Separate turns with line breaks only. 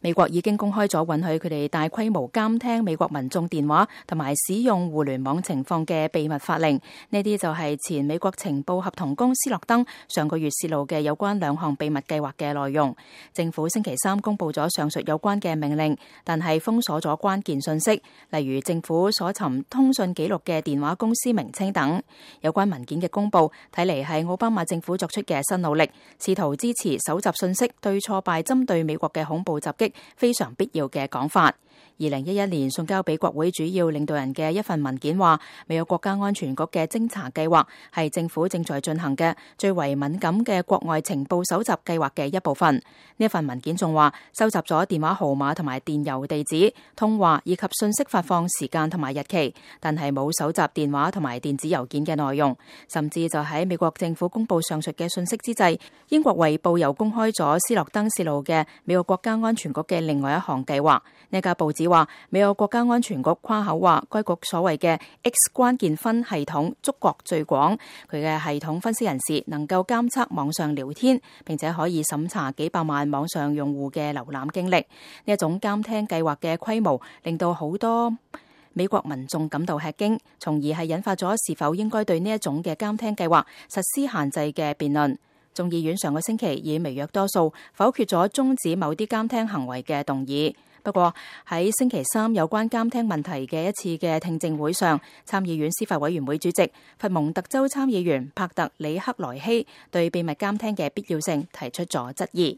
美國已經公開咗允許佢哋大規模監聽美國民眾電話同埋使用互聯網情況嘅秘密法令。呢啲就係前美國情報合同工斯諾登上個月泄露嘅有關兩項秘密計劃嘅內容。政府星期三公布咗上述有關嘅命令，但係封鎖咗關鍵信息，例如政府所尋通訊記錄嘅電話公司名稱等。有關文件嘅公布睇嚟係奧巴馬政府作出嘅新努力，試圖支持搜集信息對挫敗針對美國嘅恐怖襲擊非常必要嘅講法。2011年送交俾國會主要領導人嘅一份文件話，美國國家安全局嘅偵查計劃係政府正在進行嘅最為敏感嘅國外情報搜集計劃嘅一部分。呢份文件仲話，收集咗電話號碼同埋電郵地址、通話以及信息發放時間同埋日期，但係冇搜集電話同埋電子郵件嘅內容。甚至就喺美國政府公布上述嘅信息之際，英國衛報又公開咗斯諾登泄露嘅美國國家安全局嘅另外一項計劃。呢家報紙話，美國國家安全局誇口話，該局所謂嘅 X 關鍵分系統觸覺最廣，佢嘅系統分析人士能夠監測網上聊天，並且可以審查幾百萬網上用戶嘅瀏覽經歷。呢一種監聽計劃嘅規模，令到好多美國民眾感到吃驚，從而係引發咗是否應該對呢一種嘅監聽計劃實施限制嘅辯論。眾議院上個星期以微弱多數否決咗終止某啲監聽行為嘅動議。不過喺星期三有關監聽問題嘅一次嘅聽證會上，參議院司法委員會主席佛蒙特州參議員帕特里克萊希對秘密監聽嘅必要性提出咗質疑。